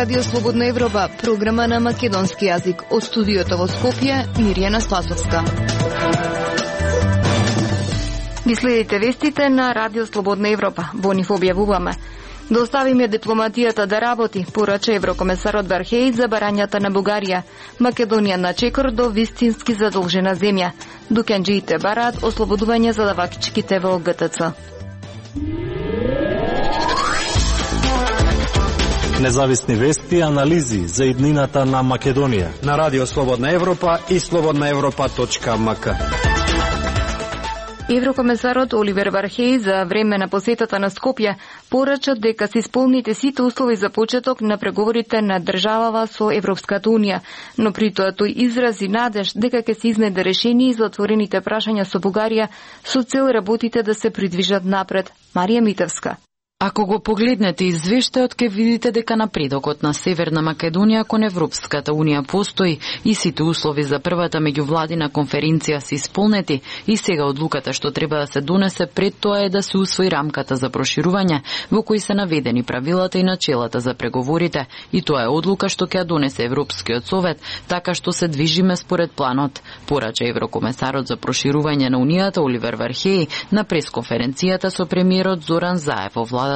Радио Слободна Европа, програма на македонски јазик. Од студиото во Скопје, Мирјана Спасовска. Ги следите вестите на Радио Слободна Европа. Во нив објавуваме: да оставиме дипломатијата да работи, порача еврокомесарот Вархеј за барањата на Бугарија. Македонија на чекор до вистински задолжена земја. Дукенџиите бараат ослободување за давачките во ГТЦ. Независни вести и анализи за иднината на Македонија на Радио Слободна Европа и slobodnaevropa.mk. Еврокомесарот Оливер Вархеј за време на посетата на Скопје порача дека се исполните сите услови за почеток на преговорите на државава со Европската Унија, но при тоа тој изрази надеж дека ќе се изнајде решение за отворените прашања со Бугарија со цел работите да се придвижат напред. Марија Митевска. Ако го погледнете извештајот, ќе видите дека напредокот на Северна Македонија кон Европската Унија постои и сите услови за првата меѓувладина конференција се исполнети и сега одлуката што треба да се донесе пред тоа е да се усвои рамката за проширување во кои се наведени правилата и начелата за преговорите, и тоа е одлука што ќе ја донесе Европскиот совет, така што се движиме според планот, порача еврокомесарот за проширување на Унијата Оливер Вархеј на пресконференцијата со премиерот Зоран Заев во владата.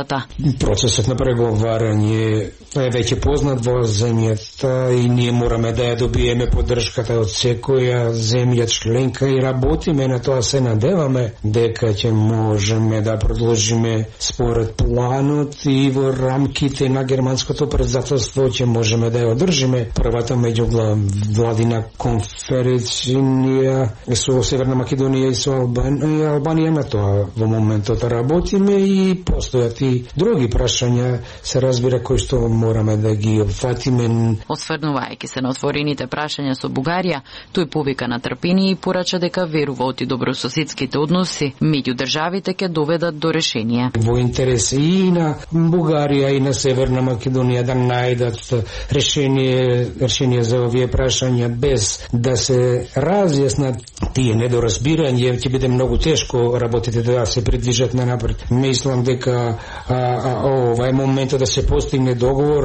Процесот на преговарање е веќе познат во земјата и ние мораме да ја добиеме поддршката од секоја земја членка и работиме на тоа. Се надеваме дека ќе можеме да продолжиме според планот и во рамките на германското председателство ќе можеме да ја одржиме првата меѓувладина конференција со Северна Македонија и со Албанија. На тоа во моментот работиме и постојат и други прашања, се разбира, кои што мораме да ги опфатиме. Осврнувајќи се на отворените прашања со Бугарија, тој повика на трпение и порача дека верува оти добрососедските односи меѓу државите ќе доведат до решение. Во интерес и на Бугарија и на Северна Македонија да најдат решение за овие прашања без да се разјаснат тие недоразбирања, ќе биде многу тешко работите да се придвижат на напред. Мислам дека ова е моментот да се постигне договор.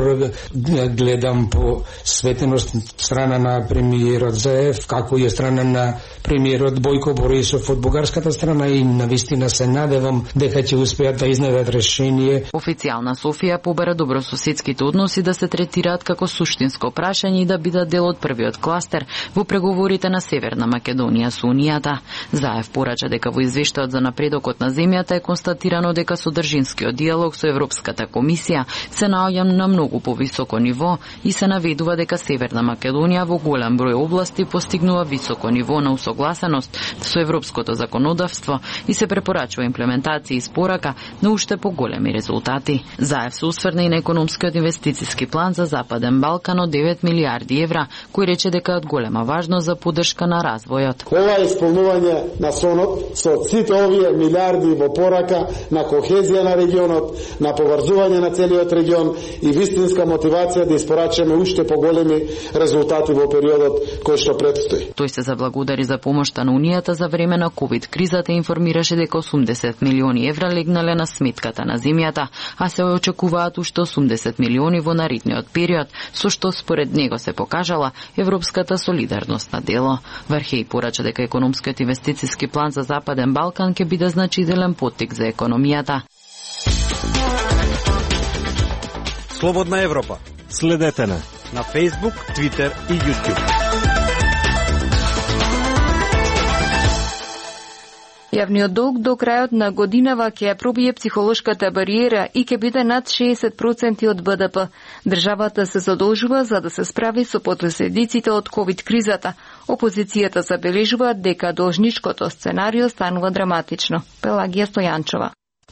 Гледам по светеност страна на премиерот Заев, како и страна на премиерот Бојко Борисов од бугарската страна, и навистина се надевам дека ќе успеат да изнајдат решение. Официјална Софија побара добрососедските односи да се третираат како суштинско прашање и да бидат дел од првиот кластер во преговорите на Северна Македонија со Унијата. Заев порача дека во извештајот за напредокот на земјата е констатирано дека содржинскиот диалог со Европската комисија се наоѓа на многу повисоко ниво и се наведува дека Северна Македонија во голем број области постигнува високо ниво на усогласеност со европското законодавство и се препорачува имплементација и спорака на уште поголеми резултати. Заев се осврна и на економскиот инвестициски план за Западен Балкан од 9 милиарди евра, кој рече дека е од голема важност за поддршка на развојот. Ова е исполнување на сонот со сите овие милиарди во порака на кохезија на регионот, на поврзување на целиот регион и вистинска мотивација да испорачаме уште поголеми резултати во периодот кој што предстои. Тој се заблагодари за помошта на Унијата за време на ковид кризата и информираше дека 80 милиони евра легнале на сметката на земјата, а се очекуваат уште 80 милиони во наредниот период, со што според него се покажала европската солидарност на дело. Вархеј порача дека економскиот инвестициски план за Западен Балкан ќе биде значителен поттик за економијата. Слободна Европа. Следете на Facebook, Twitter и YouTube. Јавниот долг до крајот на годинава ќе ја пробие психолошката бариера и ќе биде над 60% од БДП. Државата се задолжува за да се справи со последиците од ковид кризата. Опозицијата забележува дека должничкото сценарио станува драматично. Пелагија Стојанчова.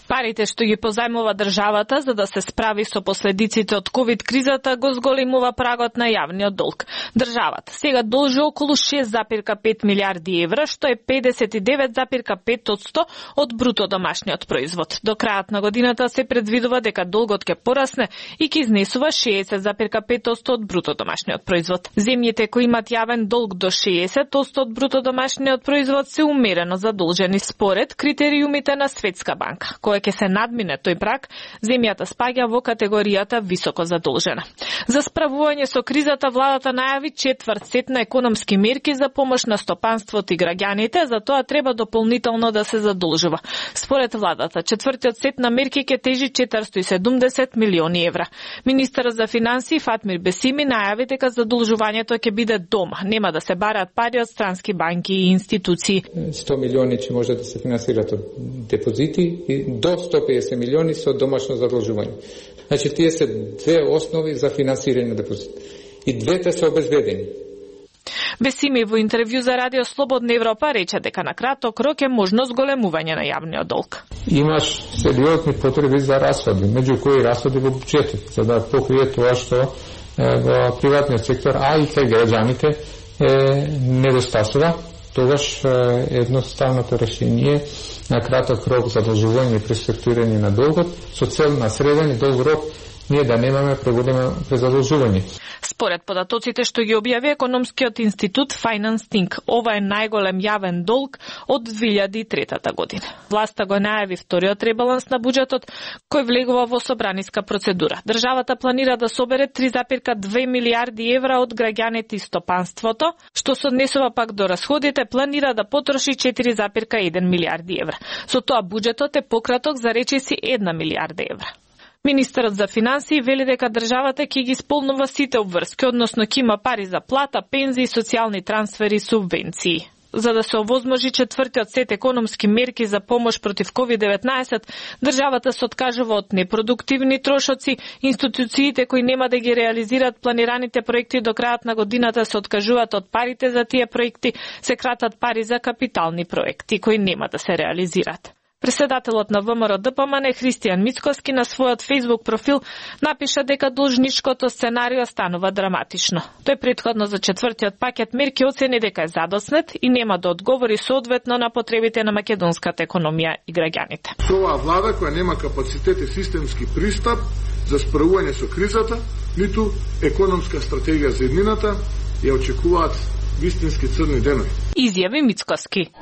Парите што ги позајмува државата за да се справи со последиците од ковид кризата го зголемува прагот на јавниот долг. Државата сега должи околу 6,5 милиарди евра, што е 59,5% од бруто домашниот производ. До крајот на годината се предвидува дека долгот ќе порасне и ќе изнесува 60,5% од бруто домашниот производ. Земјите кои имат јавен долг до 60% од бруто домашниот производ се умерено задолжени според критериумите на Светска банка, која кога ќе се надмине тој праг, земјата спаѓа во категоријата високо задолжена. За справување со кризата, владата најави 4 сет на економски мерки за помош на стопанството и граѓаните, за тоа треба дополнително да се задолжува. Според владата, 4-тиот сет на мерки ќе тежи 470 милиони евра. Министерот за финансии Фатмир Бесими најави дека задолжувањето ќе биде дома, нема да се бараат пари од странски банки и институции. 100 милиони ќе може да се финансираат од депозити и до 150 милиони со домашно задолжување. Значи, тие се две основи за финансирање на депозит. И двете се обезбедени. Бесими во интервју за Радио Слободна Европа рече дека на краток рок е можно зголемување на јавниот долг. Имаш сериозни потреби за расходи, меѓу кои расходи во буџетот, за да покрие тоа што во приватниот сектор, а и кај граѓаните недостасува. Тогаш едноставното решение на краток рок задолжување и преструктурирање на долгот со цел на среден и долг рок ние да немаме преголемо презадолжување. Според податоците што ги објави економскиот институт Finance Think, ова е најголем јавен долг од 2003 година. Власта го најави вториот ребаланс на буџетот, кој влегува во собраниска процедура. Државата планира да собере 3,2 милиарди евра од граѓаните и стопанството, што се однесува пак до расходите, планира да потроши 4,1 милиарди евра. Со тоа буџетот е пократок за речиси 1 милиарда евра. Министерот за финансии вели дека државата ќе ги исполнува сите обврски, односно ќе има пари за плата, пензии, социјални трансфери и субвенции. За да се овозможи 4-тиот сет економски мерки за помош против COVID-19, државата се откажува од непродуктивни трошоци, институциите кои нема да ги реализираат планираните проекти до крајот на годината се откажуваат од парите за тие проекти, се кратат пари за капитални проекти кои нема да се реализираат. Председателот на ВМРО ДПМН Христијан Мицкоски на својот Facebook профил напиша дека должничкото сценарио станува драматично. Тој претходно за 4-тиот пакет мерки оцени дека е задоснет и нема да одговори соодветно на потребите на македонската економија и граѓаните. Оваа влада која нема капацитет и системски пристап за справување со кризата, ниту економска стратегија за иднината, ја очекуваат вистински црни денови. Изјави Мицкоски.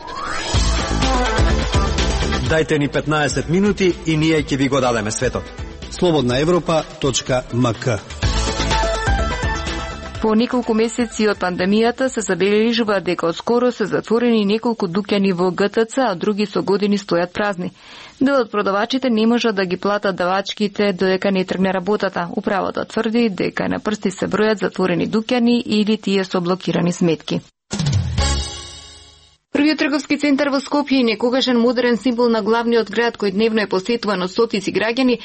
Дајте ни 15 минути и ние ќе ви го дадеме светот. slobodnaevropa.mk. По неколку месеци од пандемијата се забележува дека отскоро се затворени неколку дуќани во ГТЦ, а други со години стојат празни. Дел од продавачите не можат да ги платат давачките додека не тргне работата. Управата тврди дека на прсти се бројат затворени дуќани или тие со блокирани сметки. Првиот трговски центар во Скопје, некогашен модерен символ на главниот град кој дневно е посетуван од стотици граѓани,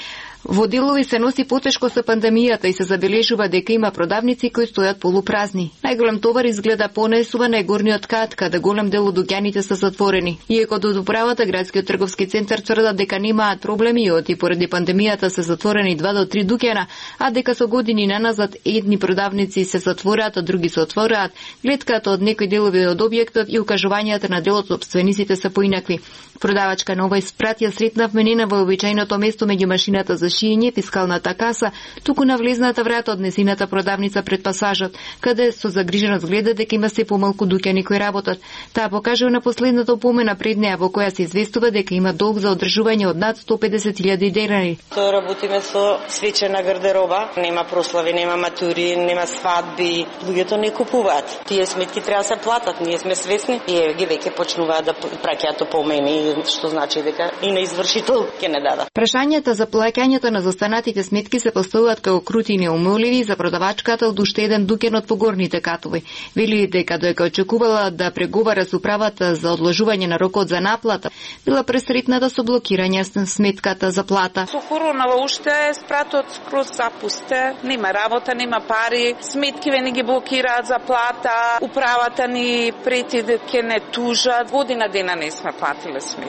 во делови се носи потешко со пандемијата и се забележува дека има продавници кои стојат полупразни. Најголем товар изгледа понесува на горниот кат, каде голем дел од дуќаните се затворени. Иако од управата градскиот трговски центар тврдат дека немаат проблеми и поради пандемијата се затворени 2 до 3 дуќана, а дека со години наназад едни продавници се затвораат, а други се отвораат, гледката од некои делови од објектот и укажувањата на дел од собствениците се поинакви. Продавачка нова испратија сретна вменена во обичајното место меѓу машината за шиење, фискалната каса, туку на влезната врата од несината продавница пред пасажот, каде со загриженост гледа дека има се помалку дуќани кои работат. Таа покажува на последната опомена пред неа во која се известува дека има долг за одржување од над 150.000 денари. Тоа работиме со свечена гардероба, нема прослави, нема матури, нема свадби, луѓето не купуваат. Тие сметки треба да се платат, ние сме свесни и ги веќе почнуваат да праќаат опомени, што значи дека и на извршител ќе не дадат. Прашањата за плаќањето на застанатите сметки се поставуваат како крути и неумоливи за продавачката од уште еден дуќан од погорните катови. Вели дека додека очекувала да преговара со управата за одложување на рокот за наплата, била пресретната со блокирање на сметката за плата. Со коронава уште спратот скроз запусте, нема работа, нема пари, сметки ве не ги блокираат за плата, управата ни прети дека ќе не тужат, година дена не сме платиле сметки.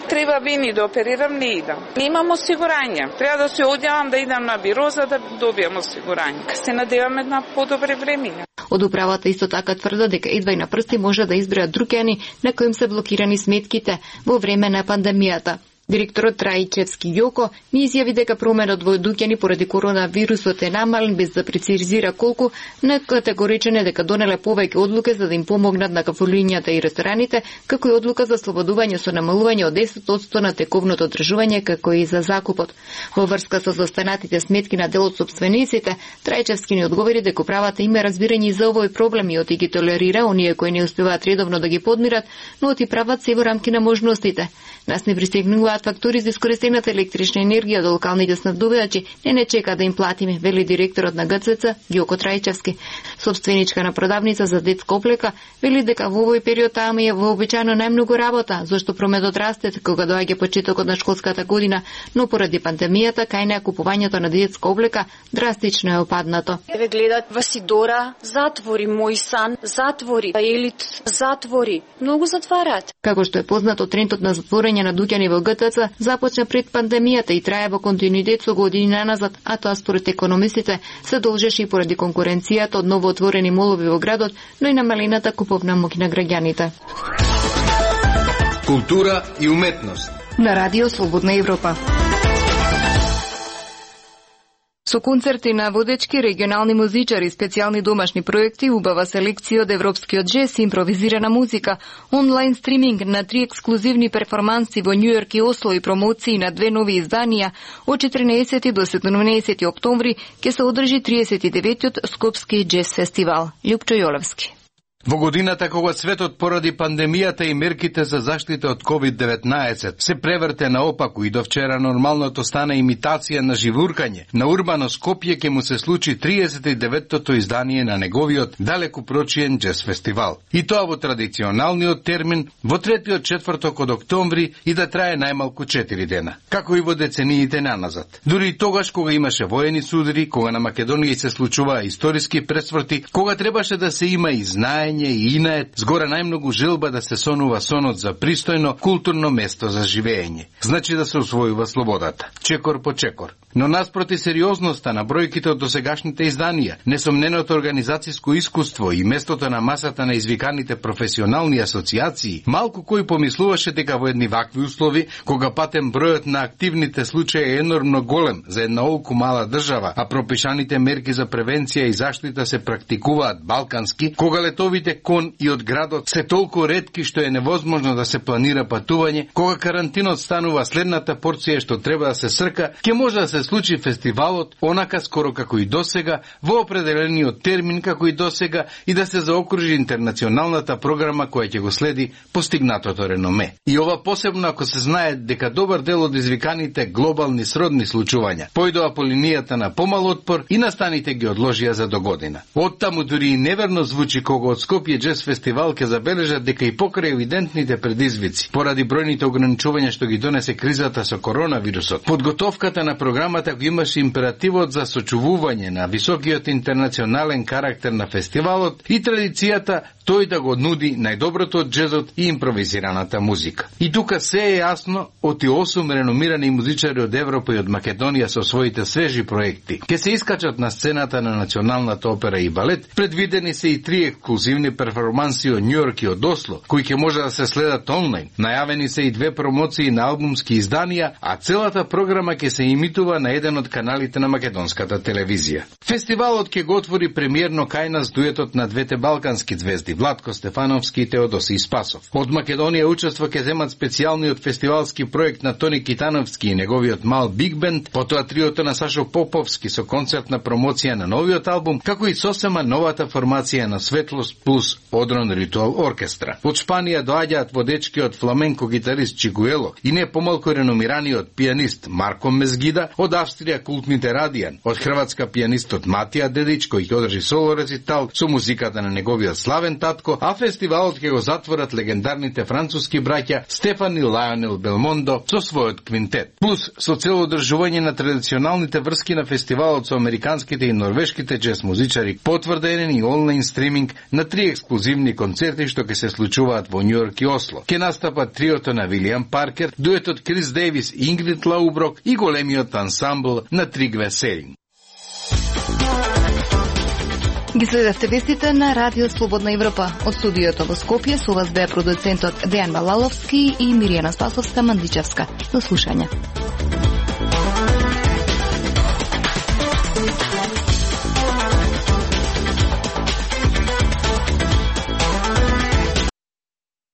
Треба би да оперирам, не идам. Немам осигурање. Треба да се одјавам да идам на биро за да добијам осигурање. Се надеваме на подобри времиња. Од управата исто така тврда дека едва и на прсти може да избројат дуќани на коим се блокирани сметките во време на пандемијата. Директорот Трајчевски Јоко ни изјави дека променот во Дуќани поради коронавирусот е намален, без да прецизира колку, на категоричен е дека донеле повеќе одлуки за да им помогнат на кафулињата и рестораните, како и одлука за слободување со намалување од 10% на тековното одржување, како и за закупот. Во врска со застанатите сметки на дел од сопствениците, Трајчевски ни одговори дека управата има разбирање за овој проблем и оти ги толерира оние кои не успеваат редовно да ги подмират, но оти прават се во рамки на можностите. Нас не пристигнуваат фактури за искористената електрична енергија до локалните снабдувачи, не чека да им платиме, вели директорот на ГЦЦ Јоко Трајчевски. Собственичка на продавница за детска оплека вели дека во овој период таа е вообичаено најмногу работа, зашто прометот расте кога доаѓа почетокот на школската година, но поради пандемијата кај неа купувањето на детска облека драстично е опаднато. Ве гледат Васидора, затвори, Мој сан, затвори, Елит, затвори, многу затварат. Како што е познато, трендот на затворање на Дуќани во ГТЦ започна пред пандемијата и трае во континуитет со години наназад, а тоа според економистите се должеше и поради конкуренцијата од новоотворени молови во градот, но и намалената куповна моќ на граѓаните. Култура и уметност на Радио Слободна Европа. Со концерти на водечки регионални музичари, специјални домашни проекти, убава селекција од европскиот джез и импровизирана музика, онлайн стриминг на 3 ексклузивни перформанси во Њујорк и Осло и промоции на 2 нови изданија, од 14 до 17 октомври ќе се одржи 39-тиот Скопски джез фестивал. Лјупчо Јолевски. Во годината кога светот поради пандемијата и мерките за заштита од COVID-19 се преврте наопаку и до вчера нормалното стана имитација на живуркање, на Урбано Скопје ќе му се случи 39-тото издание на неговиот далеку прочиен джез фестивал. И тоа во традиционалниот термин во третиот четврток од октомври и да трае најмалку 4 дена, како и во децениите наназад. Дури и тогаш кога имаше воени судри, кога на Македонија се случуваа историски пресврти, кога требаше да се има и знаење и инает, згора најмногу желба да се сонува сонот за пристојно културно место за живење. Значи да се усвојува слободата, чекор по чекор. Но наспроти сериозноста на бројките од досегашните изданија, несомненото организацијско искуство и местото на масата на извиканите професионални асоциации, малку кој помислуваше дека во едни вакви услови, кога патем бројот на активните случаи е енормно голем за една олку мала држава, а пропишаните мерки за превенција и заштита се практикуваат балкански, кога летовите кон и од градот се толку ретки што е невозможно да се планира патување, кога карантинот станува следната порција што треба да се срка, ќе може да се случи фестивалот онака скоро како и досега, во определениот термин како и досега и да се заокружи интернационалната програма која ќе го следи постигнатото реноме. И ова посебно ако се знае дека добар дел од извиканите глобални сродни случувања појдоа по линијата на помал отпор и настаните ги одложија за догодина. Оттаму дури и неверно звучи кога од Скопје джез фестивал ќе забележат дека и покрај евидентните предизвици, поради бројните ограничувања што ги донесе кризата со коронавирусот, подготовката на програмата го имаше императивот за сочувување на високиот интернационален карактер на фестивалот и традицијата тој да го нуди најдоброто од джезот и импровизираната музика. И тука се е јасно, оти 8 реномирани музичари од Европа и од Македонија со своите свежи проекти ќе се искачат на сцената на Националната опера и балет. Предвидени се и 3 ексклузивни перформанси од Њујорк и од Осло, кои ќе може да се следат онлайн. Најавени се и 2 промоции на албумски изданија, а целата програма ќе се имитува на еден од каналите на македонската телевизија. Фестивалот ќе го отвори премиерно кај нас дуетот на двете балкански звезди Владко Стефановски и Теодоси Спасов. Од Македонија учество ќе земат специјалниот фестивалски проект на Тони Китановски и неговиот мал Биг Бенд, потоа триото на Сашо Поповски со концертна промоција на новиот албум, како и сосема новата формација на Светлост плюс Одрон Ритуал Оркестра. Од Шпанија доаѓаат водечкиот фламенко гитарист Чигуело и не помалку реномираниот пианист Марко Мезгида, од Австрија култните Радијан, од Хрватска пианистот Матија Дедич, кој ќе одржи соло рецитал со музиката на неговиот славен татко, а фестивалот ќе го затворат легендарните француски браќа Стефан и Лајонел Белмондо со својот квинтет. Плюс со цел одржување на традиционалните врски на фестивалот со американските и норвешките джез музичари, потврден и онлайн стриминг на 3 ексклузивни концерти што ќе се случуваат во Њујорк и Осло. Ќе настапат триото на Вилијам Паркер, дуетот Крис Дейвис и Ингрид Лауброк и големиот ансамбл на Тригве Серинг. Ги следевте вестите на Радио Слободна Европа. Од студиото во Скопје со вас беа продуцентот Дејан Балаловски и Миријана Спасовска-Мандичевска. До слушање.